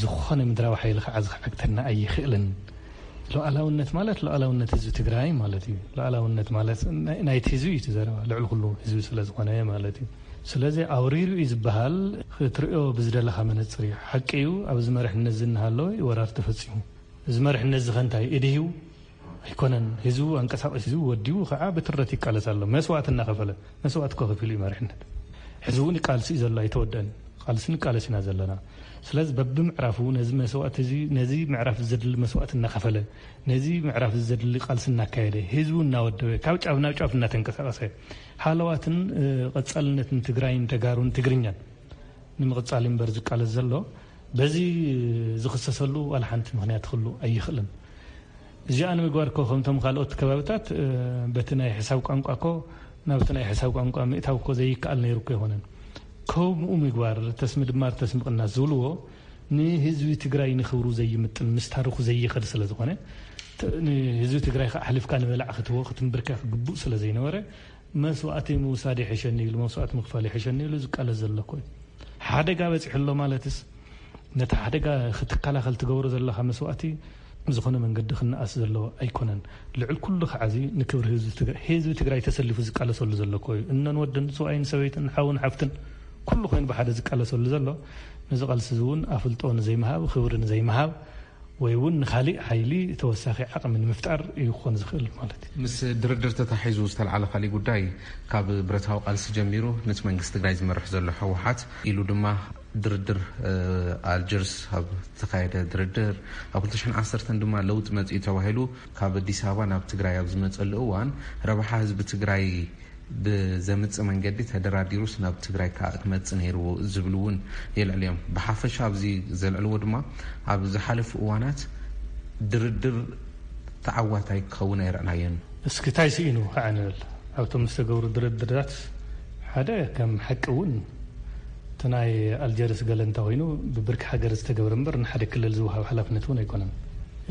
ዝኾነ ምድራዊ ሓይሊ ከዓ ዝዓግተና ኣይኽእልን። ሉኣላውነት ማለት ሉኣላውነት ህዝቢ ትግራይ ማለት እዩ። ሉኣላውነት ማለት ናይቲ ህዝቢ እዩ እቲ ዘረባ፣ ልዕሊ ኩሉ ህዝቢ ስለዝኾነ ማለት እዩ። ስለዚ ኣውሪሩ እዩ ዝበሃል ክትሪኦ ብዝደለኻ መነፅር እዩ። ሓቂ እዩ፣ ኣብዚ መሪሕነት ዝናሃለወ ወራር ተፈፂሙ። እዚ መሪሕነት እዚ ከ እንታይ ኢድሂቡ ኣይኮነን። ህዝቡ ኣንቀሳቒሱ ወዲቡ ከዓ ብትረት ይቃለስ ኣሎ። መስዋእቲ እናኸፈለ፣ መስዋእቲ እኮ ከፊሉ እዩ መሪሕነት። ሕዚ እውን ይቃልስ እዩ ዘሎ፣ ኣይተወደአን። ቃልሲ ንቃለስ ኢና ዘለና። ስለዚ በብምዕራፉ ነዚ መስዋእቲ እዚ፣ ነዚ ምዕራፍ እዚ ዘድሊ መስዋእቲ እናኸፈለ፣ ነዚ ምዕራፍ እዚ ዘድሊ ቃልሲ እናካየደ፣ ህዝቡ እናወደበ፣ ካብ ጫፍ ናብ ጫፍ እናተንቀሳቐሰ፣ ሃለዋትን ቀፃልነትን ትግራይን ተጋሩን ትግርኛን ንምቕፃል እምበር ዝቃለስ ዘሎ፣ በዚ ዝኽሰሰሉ ዋላ ሓንቲ ምኽንያት ክህሉ ኣይኽእልን። እዚኣ ንምግባር እኮ ከምቶም ካልኦት ከባብታት በቲ ናይ ሕሳብ ቋንቋ እኮ ናብቲ ናይ ሕሳብ ቋንቋ ምእታው እኮ ዘይከኣል ነይሩ እኮ ኣይኮነን። ከምኡ ምግባር፣ ተስሚ ድማር ተስሚ ቅናስ ዝብልዎ ንህዝቢ ትግራይ ንክብሩ ዘይምጥን ምስ ታሪኹ ዘይኸድ ስለ ዝኾነ ንህዝቢ ትግራይ ከዓ ኣሕሊፍካ ንበላዕ ክትቦ ክትንብርከክ ግቡእ ስለ ዘይነበረ መስዋእቲ ምውሳድ ይሕሸኒ ኢሉ መስዋእቲ ምኽፋል ይሕሸኒ ኢሉ ዝቃለስ ዘሎ እኮ እዩ። ሓደጋ በፂሑ ኣሎ ማለትስ ነቲ ሓደጋ ክትከላኸል ትገብሮ ዘለኻ መስዋእቲ ዝኾነ መንገዲ ክነኣስ ዘለዎ ኣይኮነን። ልዕል ኩሉ ከዓ እዚ ንክብሪ ህዝቢ ትግራይ፣ ህዝቢ ትግራይ ተሰሊፉ ዝቃለሰሉ ዘሎ እኮ እዩ። እነን ወድን ስብኣይን ሰበይትን ሓውን ሓፍትን ኩሉ ኮይኑ ብሓደ ዝቃለሰሉ ዘሎ ነዚ ቃልሲ እዚ እውን ኣፍልጦ ንዘይምሃብ፣ ክብሪ ንዘይምሃብ ወይ እውን ንኻሊእ ሓይሊ ተወሳኺ ዓቕሚ ንምፍጣር እዩ ክኾን ዝኽእል ማለት እዩ። ምስ ድርድር ተታሒዙ ዝተልዓለ ካሊእ ጉዳይ ካብ ብረታዊ ቃልሲ ጀሚሩ ነቲ መንግስቲ ትግራይ ዝመርሕ ዘሎ ህወሓት ኢሉ ድማ ድርድር ኣልጀርስ ኣብ ዝተኻየደ ድርድር ኣብ ክልተ ሽሕን ዓሰርተን ድማ ለውጢ መፂኡ ተባሂሉ ካብ ኣዲስ ኣበባ ናብ ትግራይ ኣብ ዝመፀሉ እዋን ረብሓ ህዝቢ ትግራይ ብዘምጽእ መንገዲ ተደራዲሩስ ናብ ትግራይ ከዓ ክመጽእ ነይርዎ ዝብሉ እውን የልዕሉ እዮም። ብሓፈሻ ኣብዚ ዘልዕልዎ ድማ ኣብ ዝሓለፉ እዋናት ድርድር ተዓዋታይ ክኸውን ኣይረእናዮን። እስኪ እንታይ ስኢኑ ከዓ ንብል ኣብቶም ዝተገብሩ ድርድራት ሓደ ከም ሓቂ እውን እቲ ናይ ኣልጀርስ ገለ እንተኮይኑ ብብርኪ ሃገር ዝተገብረ እምበር ንሓደ ክልል ዝወሃብ ሓላፍነት እውን ኣይኮነን።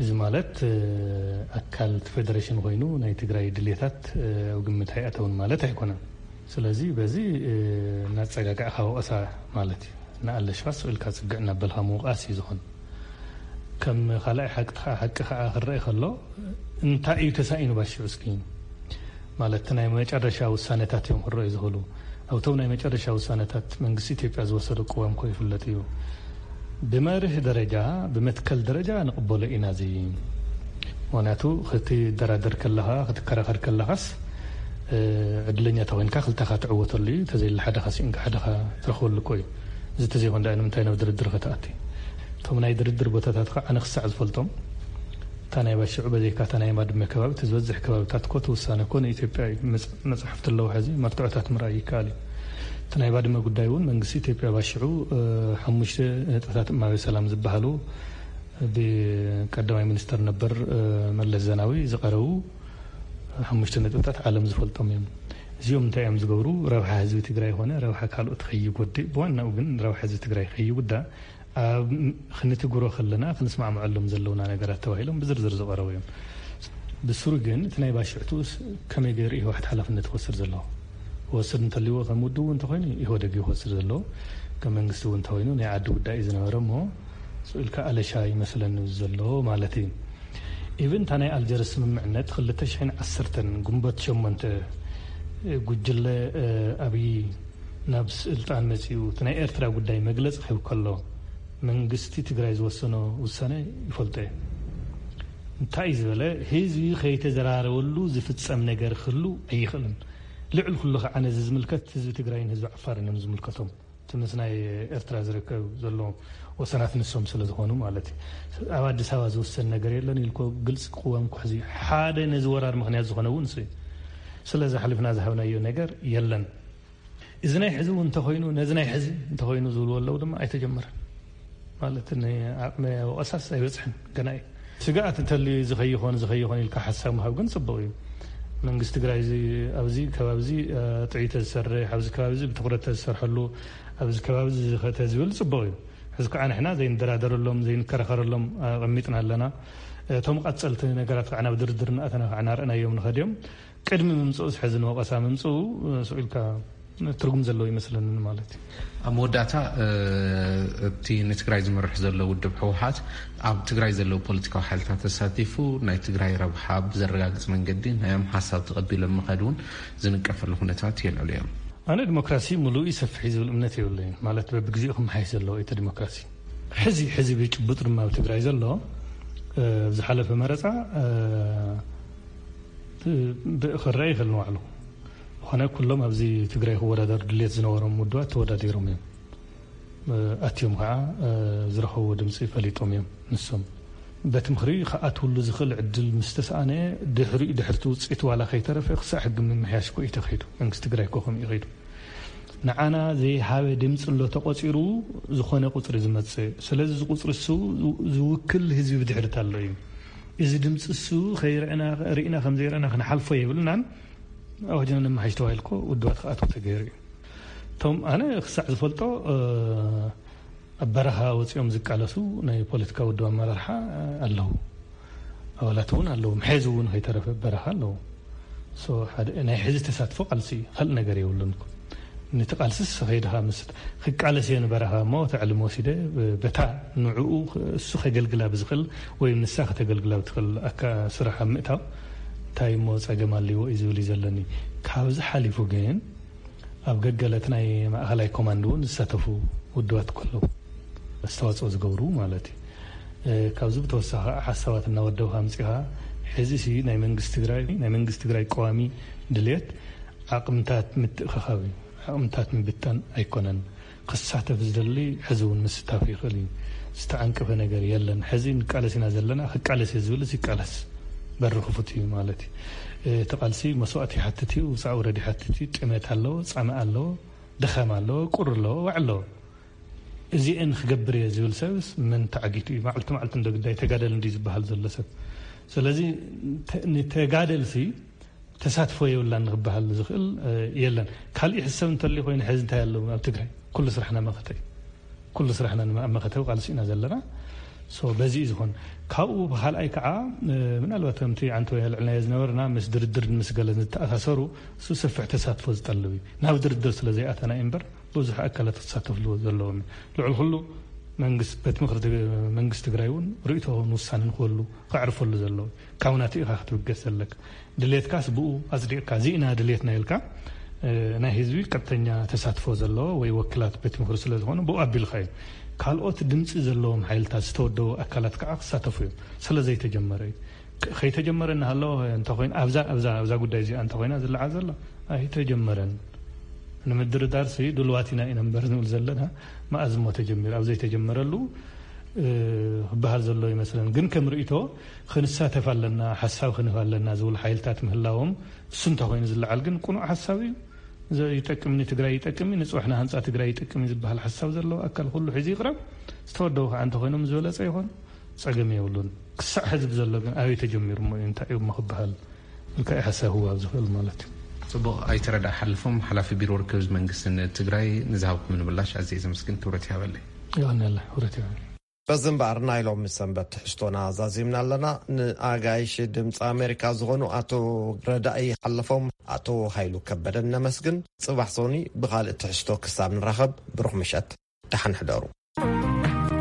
እዚ ማለት ኣካል እቲ ፌደሬሽን ኮይኑ ናይ ትግራይ ድሌታት ኣብ ግምት ኣይኣተውን ማለት ኣይኮነን። ስለዚ በዚ እናፀጋጋዕካ ወቀሳ ማለት እዩ። ንኣለሽፋ ስቕ ኢልካ ፅግዕ እናበልካ ምውቃስ እዩ ዝኾን። ከም ካልኣይ ሓቂ ከዓ ክረአ ከሎ እንታይ እዩ ተሳኢኑ ባሽዑ እስኪ ማለት ናይ መጨረሻ ውሳነታት እዮም ክረአዩ ዝኽእሉ። ኣብቶም ናይ መጨረሻ ውሳነታት መንግስቲ ኢትዮጵያ ዝወሰዶ ቅዋም ኮ ይፍለጥ እዩ። ብመርህ ደረጃ ብመትከል ደረጃ ንቕበሎ ኢና እዚ። ምክንያቱ ክትደራደር ከለኻ ክትከራኸር ከለኻስ ዕድለኛ ተኮይንካ ክልተኻ ትዕወተሉ እዩ። ተዘይለ ሓደኻ ስኢንካ ሓደኻ ትረኽበሉ እኮ እዩ። እዚ ተዘይኮን ደኣ ንምንታይ ናብ ድርድር ከተኣቲ? እቶም ናይ ድርድር ቦታታት ከዓ ኣነ ክሳዕ ዝፈልጦም እታ ናይ ባሽዑ በዘይካ እታ ናይ ባድመ ከባቢ እቲ ዝበዝሕ ከባብታት እኮ እቲ ውሳነ እኮ ንኢትዮጵያ እዩ። መፃሕፍቲ ኣለዉ ሕዚ መርትዖታት ምርኣይ ይከኣል እዩ። እቲ ናይ ባድመ ጉዳይ እውን መንግስቲ ኢትዮጵያ ባሽዑ ሓሙሽተ ነጥብታት እማበ ሰላም ዝበሃሉ ብቀዳማይ ሚኒስተር ነበር መለስ ዘናዊ ዝቀረቡ ሓሙሽተ ነጥብታት ዓለም ዝፈልጦም እዮም። እዚኦም እንታይ እዮም ዝገብሩ? ረብሓ ህዝቢ ትግራይ ይኾነ ረብሓ ካልኦት ከይጎድእ፣ ብዋናኡ ግን ረብሓ ህዝቢ ትግራይ ከይጉዳእ ኣብ ክንትግብሮ ከለና ክንስማዕመዐሎም ዘለውና ነገራት ተባሂሎም ብዝርዝር ዝቐረቡ እዮም። ብስሩ ግን እቲ ናይ ባሽዕቱስ ከመይ ገይሩ ኢህወሓት ሓላፍነት ክወስድ ዘለዎ? ክወስድ እንተልዎ ከም ውድቡ እንተኮይኑ ኢህወደግ እዩ ክወስድ ዘለዎ። ከም መንግስቲ እውን እንተኾይኑ ናይ ዓዲ ጉዳይ እዩ ዝነበረ እሞ ስቕ ኢልካ ኣለሻ ይመስለኒ ዘሎ ማለት እዩ። ኢቭን እታ ናይ ኣልጀርስ ስምምዕነት ክልተ ሽሕን ዓሰርተን ግንቦት ሸሞንተ ጉጅለ ኣብይ ናብ ስልጣን መፂኡ እቲ ናይ ኤርትራ ጉዳይ መግለፂ ክህብ ከሎ መንግስቲ ትግራይ ዝወሰኖ ውሳነ ይፈልጦ እየ። እንታይ እዩ ዝበለ? ህዝቢ ከይተዘራረበሉ ዝፍፀም ነገር ክህሉ ኣይኽእልን። ልዕሊ ኩሉ ከዓ ነዚ ዝምልከት ህዝቢ ትግራይን ህዝቢ ዓፋርን እዮም ዝምልከቶም። እቲ ምስ ናይ ኤርትራ ዝርከብ ዘሎ ወሰናት ንሶም ስለ ዝኾኑ ማለት እዩ። ኣብ ኣዲስ ኣበባ ዝውሰን ነገር የለን ኢልኮ ግልፂ ክዋም ኩሕዚ ሓደ ነዚ ወራር ምኽንያት ዝኾነ እውን እሱ እዩ። ስለዚ ሓሊፍና ዝሃብናዮ ነገር የለን። እዚ ናይ ሕዚ እውን እንተኾይኑ ነዚ ናይ ሕዚ እንተኾይኑ ዝብልዎ ኣለዉ ድማ ኣይተጀመረን ማለት ንዓቕመ ወቐሳስ ኣይበፅሕን ገና እዩ። ስግኣት እንተልዩ እዚ ከይኾን እዚ ከይኾን ኢልካ ሓሳብ ምሃብ ግን ፅቡቕ እዩ። መንግስቲ ትግራይ ኣብዚ ከባቢ እዚ ጥዒ ተዝሰርሕ ኣብዚ ከባቢ እዚ ብትኩረት ተዝሰርሐሉ ኣብዚ ከባቢ እዚ ዝኸተ ዝብል ፅቡቕ እዩ። ሕዚ ከዓ ንሕና ዘይንደራደረሎም ዘይንከራኸረሎም ኣቐሚጥና ኣለና። እቶም ቀፀልቲ ነገራት ከዓ ናብ ድርድር እናእተና ከዓ እናርአናዮም ንኸድ እዮም። ቅድሚ ምምፅኡስ ሕዚ ንወቐሳ ምምፅኡ ስቕ ኢልካ ትርጉም ዘለዎ ይመስለንን ማለት እዩ። ኣብ መወዳእታ እቲ ንትግራይ ዝመርሕ ዘሎ ውድብ ህወሓት ኣብ ትግራይ ዘለዉ ፖለቲካዊ ሓይልታት ተሳቲፉ ናይ ትግራይ ረብሓ ብዘረጋግፅ መንገዲ ናዮም ሓሳብ ተቐቢሎም ምኸድ እውን ዝንቀፈሉ ኩነታት የልዕሉ እዮም። ኣነ ዲሞክራሲ ሙሉእ እዩ ሰፊሕ እዩ ዝብል እምነት የብለይን ማለት በብግዜኡ ክመሓየሽ ዘለዎ እቲ ዲሞክራሲ ሕዚ ሕዚ ብጭቡጥ ድማ ኣብ ትግራይ ዘሎ ዝሓለፈ መረፃ ክረአ ይኽእል ንባዕሉ። ዝኾነ ኩሎም ኣብዚ ትግራይ ክወዳደሩ ድሌት ዝነበሮም ውድባት ተወዳዲሮም እዮም። ኣትዮም ከዓ ዝረኸብዎ ድምፂ ፈሊጦም እዮም። ንሶም በቲ ምኽሪ ክኣትውሉ ዝኽእል ዕድል ምስ ተሰኣነ ድሕሪኡ ድሕርቲ ውፅኢት ዋላ ከይተረፈ ክሳዕ ሕጊ ምምሕያሽ ኮ እዩ ተኸይዱ። መንግስቲ ትግራይ ኮ ከምኡ ከይዱ ንዓና ዘይሃበ ድምፂ ኣሎ ተቆፂሩ ዝኾነ ቁፅሪ ዝመፅእ። ስለዚ እዚ ቁፅሪ እሱ ዝውክል ህዝቢ ብድሕሪት ኣሎ እዩ። እዚ ድምፂ እሱ ከይርዕና ርኢና ከም ዘይርዕና ክንሓልፎ የብልናን። ኣዋጅና ነመሓይሽ ተባሂልኮ ውድባት ክኣትው ተገይሩ እዩ። እቶም ኣነ ክሳዕ ዝፈልጦ ኣብ በረኻ ወፂኦም ዝቃለሱ ናይ ፖለቲካ ውድብ ኣመራርሓ ኣለዉ። ኣባላት እውን ኣለዉ። ሕዚ እውን ከይተረፈ በረኻ ኣለዉ። ናይ ሕዚ ተሳትፎ ቃልሲ ካልእ ነገር የብሉን። ነቲ ቃልስስ ከይድኻ ምስ ክቃለስ እየ ንበረኻ እሞ ተዕልም ወሲደ በታ ንዕኡ እሱ ከገልግላ ብዝኽእል ወይ ንሳ ከተገልግላ ብትኽእል ኣካ ስራሕ ኣብ ምእታው እንታይ እሞ ፀገም ኣለዎ እዩ ዝብል እዩ ዘለኒ። ካብዚ ሓሊፉ ግን ኣብ ገገለት ናይ ማእኸላይ ኮማንድ እውን ዝሳተፉ ውድባት ከለዉ ኣስተዋፅኦ ዝገብሩ ማለት እዩ። ካብዚ ብተወሳኺ ሓሳባት እናወደብካ ኣምፂኻ ሕዚ ሲ ናይ መንግስቲ ትግራይ ናይ መንግስቲ ትግራይ ቀዋሚ ድልየት ዓቕምታት ምትእኸኻብ እዩ። ዓቕምታት ምብታን ኣይኮነን። ክሳተፍ ዝደሊ ሕዚ እውን ምስታፍ ይኽእል እዩ። ዝተዓንቀፈ ነገር የለን። ሕዚ ንቃለስ ኢና ዘለና። ክቃለስ እየ ዝብልስ ይቃለስ። በሪ ክፉት እዩ ማለት እዩ። እቲ ቃልሲ መስዋእቲ ይሓትት እዩ፣ ውፃእ ውረድ ይሓትት እዩ፣ ጥመት ኣለዎ፣ ፃምእ ኣለዎ፣ ድኻም ኣለዎ፣ ቁሪ ኣለዎ፣ ዋዕ ኣለዎ። እዚአን ክገብር እየ ዝብል ሰብስ መን ተዓጊቱ እዩ? መዓልቲ መዓልቲ እንዶ ግዳይ ተጋደል እንዲ ዝበሃል ዘሎ ሰብ። ስለዚ ንተጋደልሲ ተሳትፎ የብላን ንክበሃል ዝኽእል የለን። ካሊእ ሕሰብ እንተልዩ ኮይኑ ሕዚ እንታይ ኣለዎ ኣብ ትግራይ? ኩሉ ስራሕና መኸተ እዩ። ኩሉ ስራሕና ንመ- መኸተ ቃልሲ ኢና ዘለና። ሶ በዚ እዩ ዝኾን። ካብኡ ብካልኣይ ከዓ ምናልባት ከምቲ ዓንተ ወይ ኣልዕልናዮ ዝነበርና ምስ ድርድር ምስ ገለ ዝተኣሳሰሩ እሱ ሰፊሕ ተሳትፎ ዝጠልብ እዩ። ናብ ድርድር ስለ ዘይኣተና እዩ እምበር ብዙሕ ኣካላት ክሳተፍሉ ዘለዎም እዩ። ልዕሊ ኩሉ መንግስት ቤት ምክሪ ትግ- መንግስቲ ትግራይ እውን ርእይቶን ውሳነን ክህሉ ከዕርፈሉ ዘለዎ ካብ ናቱ ኢኻ ክትብገስ ዘለካ። ድሌትካስ ብኡ ኣፅዲቕካ እዚእና ድሌትና ኢልካ ናይ ህዝቢ ቀጥተኛ ተሳትፎ ዘለዎ ወይ ወክላት ቤት ምክሪ ስለ ዝኾነ ብኡ ኣቢልካ እዩ። ካልኦት ድምፂ ዘለዎም ሓይልታት ዝተወደቡ ኣካላት ከዓ ክሳተፉ እዮም። ስለ ዘይተጀመረ እዩ። ከይተጀመረ እናሃለወ እንተኮይኑ ኣብዛ ኣብዛ ኣብዛ ጉዳይ እዚኣ እንተኮይና ዝለዓል ዘሎ ኣይተጀመረን። ንምድርዳር ሲ ድልዋት ኢና ኢና እምበር ንብል ዘለና መኣዝ እሞ ተጀሚሩ ኣብ ዘይተጀመረሉ ክበሃል ዘሎ ይመስለን። ግን ከም ርእቶ ክንሳተፍ ኣለና ሓሳብ ክንህብ ኣለና ዝብል ሓይልታት ምህላዎም እሱ እንተኮይኑ ዝለዓል ግን ቁኑዕ ሓሳብ እዩ። ይጠቅምኒ ትግራይ ይጠቅምኒ ንፅባሕ ንሃንፃ ትግራይ ይጠቅምኒ ዝበሃል ሓሳብ ዘለዎ ኣካል ኩሉ ሒዙ ይቕረብ። ዝተወደቡ ከዓ እንተኮይኖም ዝበለፀ ይኾን። ፀገም የብሉን። ክሳዕ ሕዚ ብዘሎ ግን ኣበይ ተጀሚሩ እሞ እዩ እንታይ እዩ እሞ ክበሃል ኢልካ እዩ ሓሳብ ክወሃብ ዝኽእል ማለት እዩ። ፅቡቕ ኣይተረዳ ሓልፎም ሓላፊ ቢሮ ርክብ መንግስትን ትግራይ ንዝሃብኩምኒ ምላሽ ኣዝየ ዘመስግን ክብረት ይሃበለይ። ይቐንየለ ክብረት ይሃበለይ። በዚ እምበኣር ናይ ሎሚ ሰንበት ትሕዝቶና ዛዚምና ኣለና። ንኣጋይሽ ድምፂ ኣሜሪካ ዝኾኑ ኣቶ ረዳኢ ሓለፎም ኣቶ ሃይሉ ከበደን ነመስግን። ፅባሕ ሶኒ ብኻልእ ትሕዝቶ ክሳብ ንራኸብ ብሩኽ ምሸት። ደሓን ሕደሩ።